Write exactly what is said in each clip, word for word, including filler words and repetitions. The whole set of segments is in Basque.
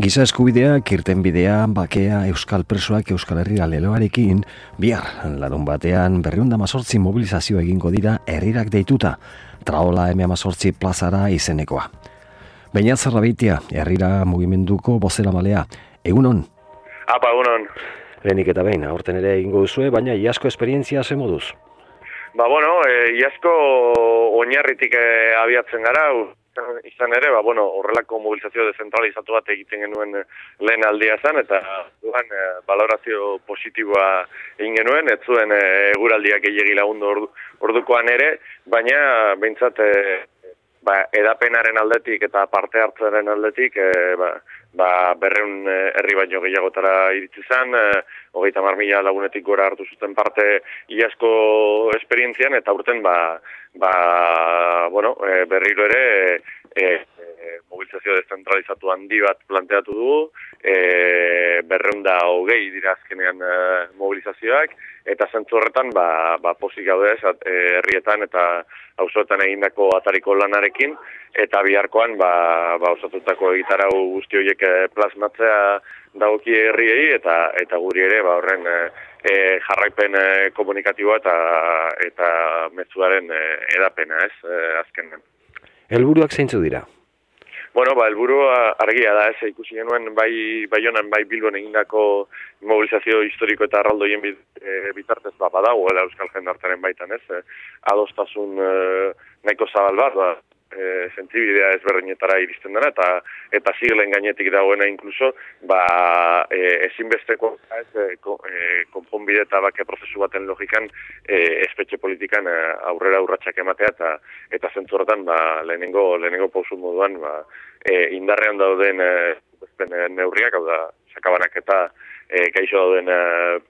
Giza eskubideak, irtenbidea, bakea, euskal presoak Euskal Herria leloarekin, bihar, larun batean, berrehun eta hamazortzi mobilizazio egingo dira herrirak deituta, Traola eme hamazortzi plazara izenekoa. Beñat Zarrabeitia, herrira mugimenduko bozeramalea, egunon? Apa, egunon. Lehenik eta behin, aurten ere egingo duzue, baina iazko esperientzia ze moduz? Ba, bueno, e, iazko oinarritik e, abiatzen gara, izan ere, ba, bueno, horrelako mobilizazio dezentralizatu bat egiten genuen lehen aldia zen, eta duan e, valorazio positiboa egin genuen, ez zuen e, eguraldiak gehiegi lagundu ordu, ordukoan ere, baina behintzat e, ba, edapenaren aldetik eta parte hartzaren aldetik e, ba, ba, berreun herri baino gehiagotara iritsi zen, e, hogeita hamar mila lagunetik gora hartu zuten parte iazko esperientzian, eta urten ba, ba, bueno, e, berriro ere e, e, mobilizazio dezentralizatu handi bat planteatu dugu, e, berreun da hogei dira azkenean e, mobilizazioak, eta zentzu horretan ba, ba, pozik gaude ez, e, herrietan eta auzoetan egindako atariko lanarekin, eta biharkoan ba, ba, osatutako egitarau guzti horiek plasmatzea dagoki herriei, eta eta guri ere ba, horren e, jarraipen e, komunikatiboa eta eta mezuaren e, edapena ez, e, azkenean. Helburuak zeintzu dira? Bueno, ba, helburua argia da, ez, ikusi genuen bai Baionan, bai Bilbon egindako mobilizazio historiko eta arraldoien bitartez ba, badagoela euskal jendartearen baitan, ez, e, adostasun e, nahiko zabal bat, ba, e, zentzibidea ezberdinetara iristen dena, eta eta siglen gainetik dagoena inkluso, ba, e, ezinbesteko ez, e, konponbide eta bake prozesu baten logikan e, espetxe politikan e, aurrera urratsak ematea, eta eta zentzu horretan ba, lehenengo, lehenengo pausu moduan ba, e, indarrean dauden e, e, neurriak, hau da, sakabanak eta e, gaixo dauden e,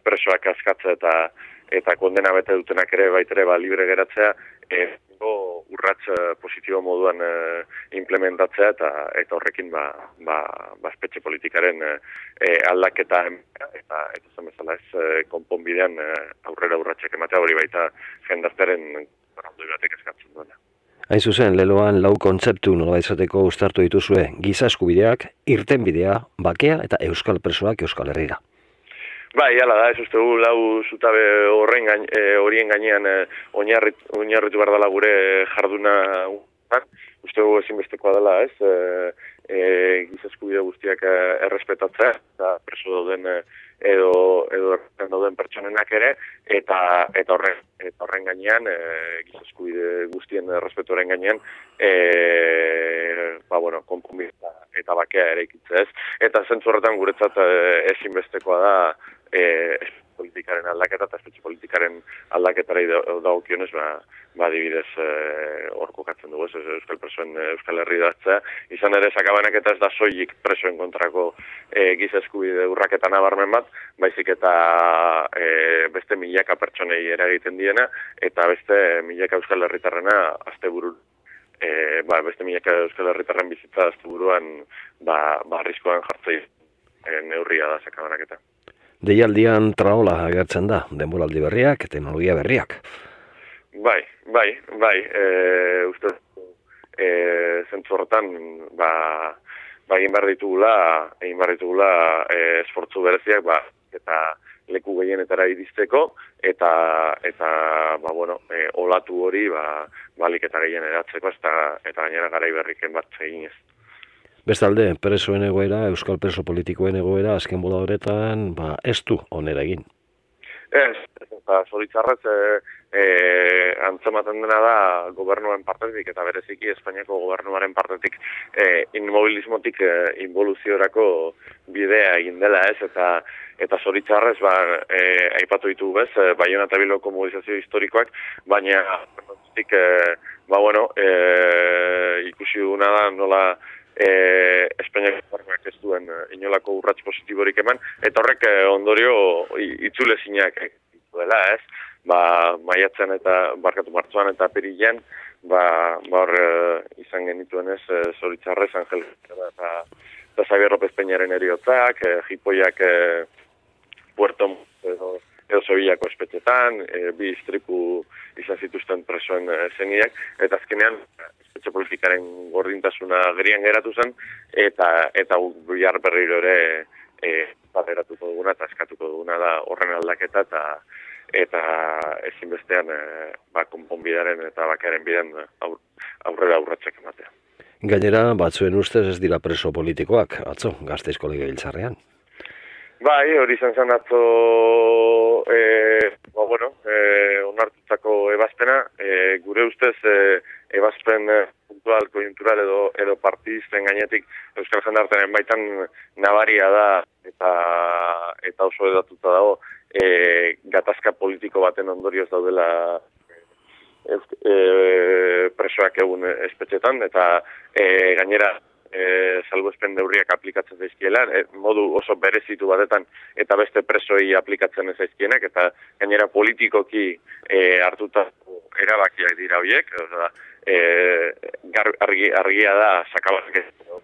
presoak askatza eta eta kondena bete dutenak ere baitere ba, libre geratzea, e, urrats positibo moduan e, implementatzea eta eta horrekin ba ba espetxe politikaren e, aldaketa eta eta zen bezala ez e, konponbidean e, aurrera urratsak ematea hori baita jendartearen arraldoi batek eskatzen duena. Hain zuzen, leloan lau kontzeptu nolabait esateko uztartu dituzue, giza eskubideak, irtenbidea, bakea eta euskal presoak Euskal Herrira. Bai, hala da, ez uste gu lau zutabe horren gain, e, horien gainean e, oinarrit, oinarritu behar dela gure jarduna uste gu ezinbestekoa dela, ez, e, e, giza eskubide guztiak e, errespetatzea, eta preso dauden e, edo edo dauden pertsonenak ere, eta eta horren, eta horren gainean, e, giza eskubide guztien errespetuaren gainean, e, ba, bueno, konponbide eta, eta bakea ere ikitzea, ez, eta zentzu horretan guretzat e, ezinbestekoa da, E, politikaren aldaketa eta espetxe politikaren aldaketara dagokionez, ba, ba adibidez hor e, kokatzen dugu, ez, euskal presoen Euskal Herri datzea. Izan ere, sakabanak eta ez da soilik presoen kontrako e, giza eskubide urraketa nabarmen bat, baizik eta e, beste milaka pertsonei eragiten diena, eta beste milaka Euskal Herritarrena asteburu e, ba, beste milaka Euskal Herritarren bizitza asteburuan ba, ba arriskoan jartzei e, neurria da sakabanak eta. Deialdian Traola agertzen da, denboraldi berriak, teknologia berriak. Bai, bai, bai, e, uste, e, zentzu horretan, ba, ba, egin behar ditugula, egin behar ditugula e, esfortzu bereziak, ba, eta leku gehienetara iristeko, eta, eta, ba, bueno, e, olatu hori, ba, balik eta gehien eratzeko, eta, eta gainera garai berriken bat eginez. Bestalde, presoen egoera, euskal preso politikoen egoera, azken bola horretan, ba, ez du onera egin. Ez, eta zoritzarrez, e, e, antzematen dena da gobernuaren partetik, eta bereziki Espainiako gobernuaren partetik e, inmobilismotik e, involuziorako bidea egin dela, ez, eta eta zoritzarrez, ba, e, aipatu ditu bez, e, Baiona eta Bilboko mobilizazio historikoak, baina, e, ba, bueno, e, ikusi duguna da nola, E, Espainiako gobernuak ez duen inolako urrats positiborik eman, eta horrek e, ondorio itzulezinak dituela, ez? Ba, maiatzen eta barkatu martxoan eta apirilean, ba, ba hor e, izan genituen ez, e, zoritzarrez, Angel eta, eta Xabier López Peñaren eriotzak, e, jipoiak e, Puerto edo, edo Sevillako espetxetan, e, bi istripu izan zituzten presoen e, zeniak, eta azkenean espetxe politikaren gordintasuna gerian geratu zen, eta eta bihar berriro ere e, bateratuko duguna eta eskatuko duguna da horren aldaketa eta eta ezinbestean e, ba, konponbidearen eta bakearen bidean aur, aurrera aurratsak ematea. Gainera, batzuen ustez ez dira preso politikoak, atzo, Gasteizko legebiltzarrean. Bai, hori izan zen atzo, e, ba, bueno, e, onartutako ebazpena, e, gure ustez e, ebazpen e, puntual, konjunktural edo, edo partidisten gainetik Euskal Jendartearen baitan nabaria da eta eta oso edatuta dago e, gatazka politiko baten ondorioz daudela e, e, presoak egun espetxetan eta e, gainera E, salbuespen neurriak aplikatzen zaizkiela, e, modu oso berezitu batetan eta beste presoei aplikatzen ez zaizkienak, eta gainera politikoki e, hartuta erabakiak dira horiek, oza, e, gar, argi, argia da sakabak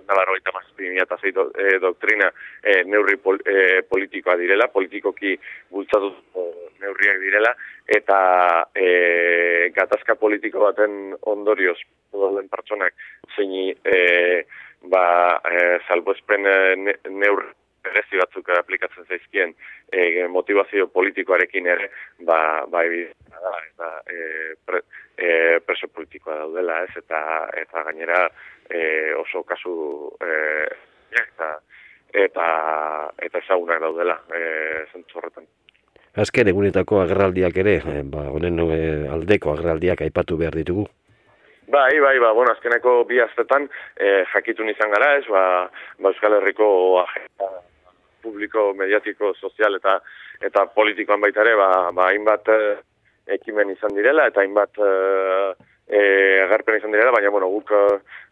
nabarroita mazazpi mila eta zei do, e, doktrina e, neurri pol, e, politikoa direla, politikoki bultzatu neurriak direla, eta e, gatazka politiko baten ondorioz dauden pertsonak zeini e, ba, e, salbuespen ne, neur berezi batzuk aplikatzen zaizkien e, motivazio politikoarekin ere ba, ba evidentzia da eta e, pre, e, preso politikoa daudela, ez, eta eta gainera e, oso kasu e, eta eta eta ezagunak daudela e, zentzu horretan. Azken egunetako agerraldiak ere, e, ba, honen e, aldeko agerraldiak aipatu behar ditugu. Bai, bai, ba, bueno, azkeneko bi astetan eh, jakitun izan gara, ez, ba, ba Euskal Herriko agenda publiko, mediatiko, sozial eta eta politikoan baita ere, ba, ba hainbat eh, ekimen izan direla eta hainbat eh, eh, agerpen izan direla, baina bueno, guk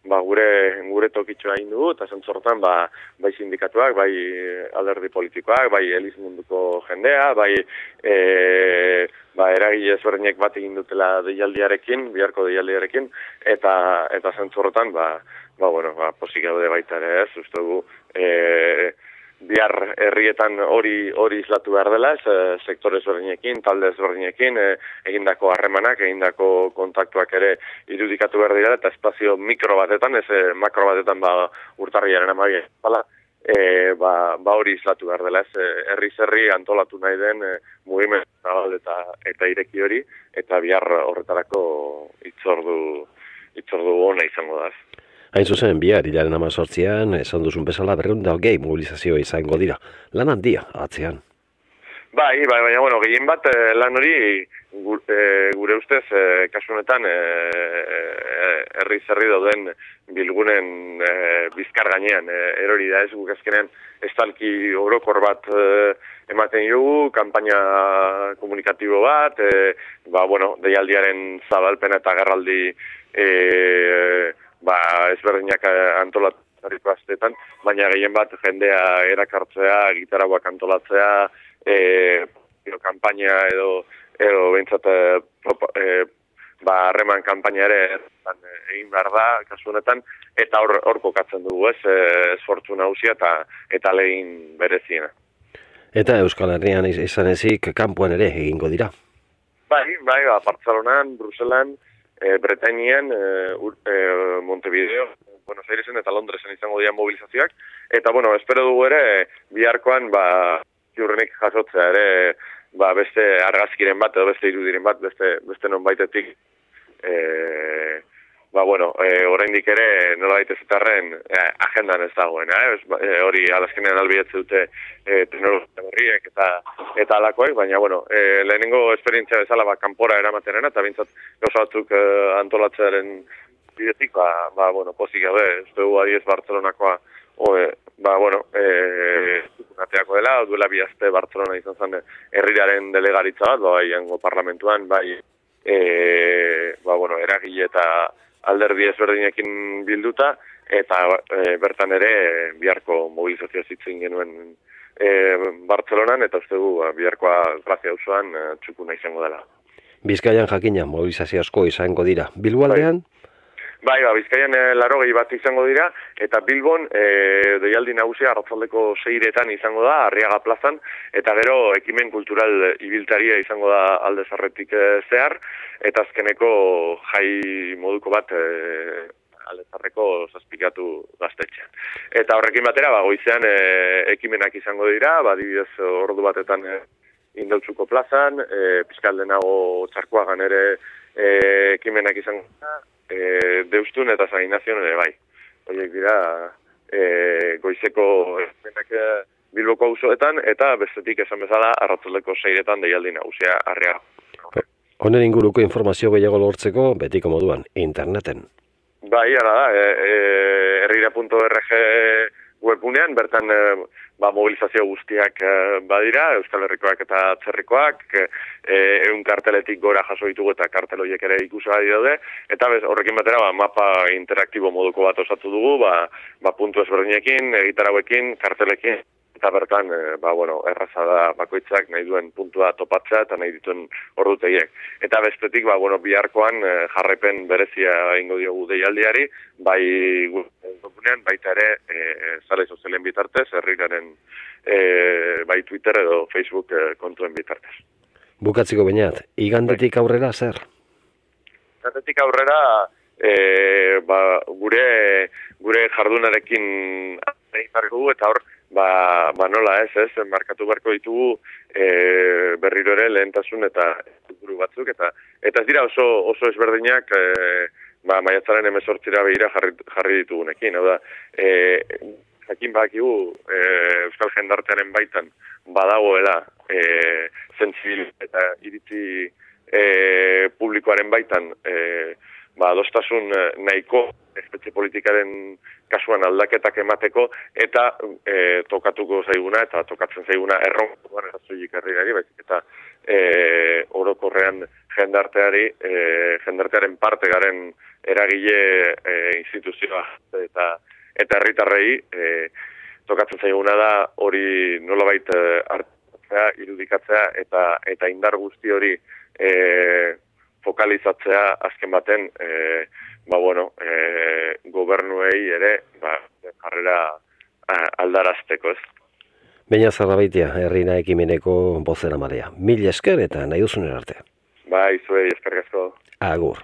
ba, gure gure tokitxoa egin dugu eta zentzortan ba, bai sindikatuak, bai alderdi politikoak, bai eliz munduko jendea, bai eh, ba, eragile ezberdinek bat egin dutela deialdiarekin, biharko deialdiarekin, eta eta zentzorretan, ba, ba, bueno, ba, posik gaude baita ere ez, uste dugu, e, bihar herrietan hori hori islatu behar dela, ez, sektore ezberdinekin, talde ezberdinekin, e, egindako harremanak, egindako kontaktuak ere irudikatu behar dira, eta espazio mikro batetan, ez makro batetan, ba, urtarriaren amaia, bala, E, ba, ba hori islatu behar dela, ez, herri-zerri antolatu nahi den e, mugimendu zabal eta, eta ireki hori, eta bihar horretarako itzordu, itzordu ona izango da. Hain zuzen, bihar, hilaren amazortzian, esan duzun bezala berreun da hogei mobilizazioa izango dira. Lan handia, atzean. Bai, bai, baina, bueno, gehien bat lan hori gure, gure ustez, e, kasu honetan, herri e, zerri dauden bilgunen e, bizkar gainean e, erori da ez, guk azkenean estalki orokor bat e, ematen dugu, kanpaina komunikatibo bat, e, ba, bueno, deialdiaren zabalpena eta gerraldi e, ba, ezberdinak antolatzariko astetan, baina gehien bat jendea erakartzea, gitarauak antolatzea, E, kanpaina edo edo behintzat e, ba harreman kanpaina ere egin behar da kasu honetan eta hor hor kokatzen dugu, ez, esfortzu nagusia eta eta legin bereziena. Eta Euskal Herrian izan ezik kanpoan ere egingo dira. Bai, bai, ba, Bartzelonan, Bruselan, e, Bretainian, e, e, Montevideo, Buenos Airesen eta Londresen izango dira mobilizazioak eta bueno, espero dugu ere biharkoan ba ziurrenik jasotzea ere ba, beste argazkiren bat edo beste irudiren bat, beste, beste non baitetik e, ba, bueno, e, oraindik ere nola daitezetarren e, agendan ez dagoena, eh? e, hori alazkenean albidetze dute e, teknologia berriek eta eta alakoek, baina bueno, e, lehenengo esperientzia bezala ba, kanpora eramaterena eta bintzat gauza batzuk e, antolatzearen bidetik, ba, ba, bueno, pozik gabe, ez dugu adiez Bartzelonakoa Oe, ba, bueno, e, ateako dela, duela bi aste Bartzelona izan zen herriaren delegaritza bat, bai, hango parlamentuan, bai, e, ba, bueno, eragile eta alderdi ezberdinekin bilduta, eta e, bertan ere biharko mobilizazioa zitzen genuen e, Bartzelonan, eta uste du, biharkoa Grazia auzoan e, txukuna izango dela. Bizkaian jakina mobilizazio asko izango dira. Bilboaldean? Bai. Bai, ba, Bizkaian e, larogei bat izango dira, eta Bilbon e, deialdi nagusia arratzaldeko seiretan izango da, Arriaga plazan, eta gero ekimen kultural ibiltaria izango da alde zarretik e, zehar, eta azkeneko jai moduko bat e, herrietako zazpikatu gaztetxean. Eta horrekin batera, ba, goizean e, ekimenak izango dira, ba, adibidez ordu batetan e, Indautzuko plazan, e, Piskaldenago Txarkoagan ere e, ekimenak izango dira, e, Deustun eta San Ignazion ere bai. Horiek dira e, goizeko ekimenak Bilboko auzoetan, eta bestetik esan bezala arratzaldeko seiretan deialdi nagusia Arriaga. Honen inguruko informazio gehiago lortzeko, betiko moduan, interneten. Bai, ara da, e, e, herrira puntu org webunean, bertan e, ba, mobilizazio guztiak e, badira, Euskal Herrikoak eta Atzerrikoak, e, eun karteletik gora jaso ditugu eta kartel horiek ere ikusgai daude, eta bez, horrekin batera ba, mapa interaktibo moduko bat osatu dugu, ba, ba puntu ezberdinekin, egitarauekin, kartelekin, eta bertan, e, ba, bueno, erraza da bakoitzak nahi duen puntua topatzea eta nahi dituen ordutegiek. Eta bestetik, ba, bueno, biharkoan e, jarraipen berezia egingo diogu deialdiari, bai gurean, baita ere, e, sare sozialen bitartez, herriraren e, bai Twitter edo Facebook e, kontuen bitartez. Bukatziko bainat, igandetik aurrera zer? Igandetik aurrera, e, ba, gure, gure jardunarekin egin dugu eta hor, Ba, ba nola ez, ez, markatu beharko ditugu e, berriro ere lehentasun eta helburu batzuk, eta eta ez dira oso oso ezberdinak e, ba, maiatzaren hemezortzira begira jarri, jarri ditugunekin, hau da, e, jakin bakigu e, Euskal Jendartearen baitan badagoela e, zentzibil eta iritzi e, publikoaren baitan e, ba, adostasun nahiko espetxe politikaren kasuan aldaketak emateko, eta e, tokatuko zaiguna, eta tokatzen zaiguna erronkoan erazuik herriari, baizik eta e, orokorrean jendarteari, e, jendartearen parte garen eragile e, instituzioa eta eta herritarrei e, tokatzen zaiguna da hori nolabait hartzea, irudikatzea eta eta indar guzti hori e, fokalizatzea azken baten e, ba bueno, e, gobernuei ere ba, jarrera aldarazteko, ez? Baina Zarrabaitia, herrina ekimeneko bozera marea. Mil esker eta nahi duzunen arte. Bai, zuei eskerrik asko. Agur.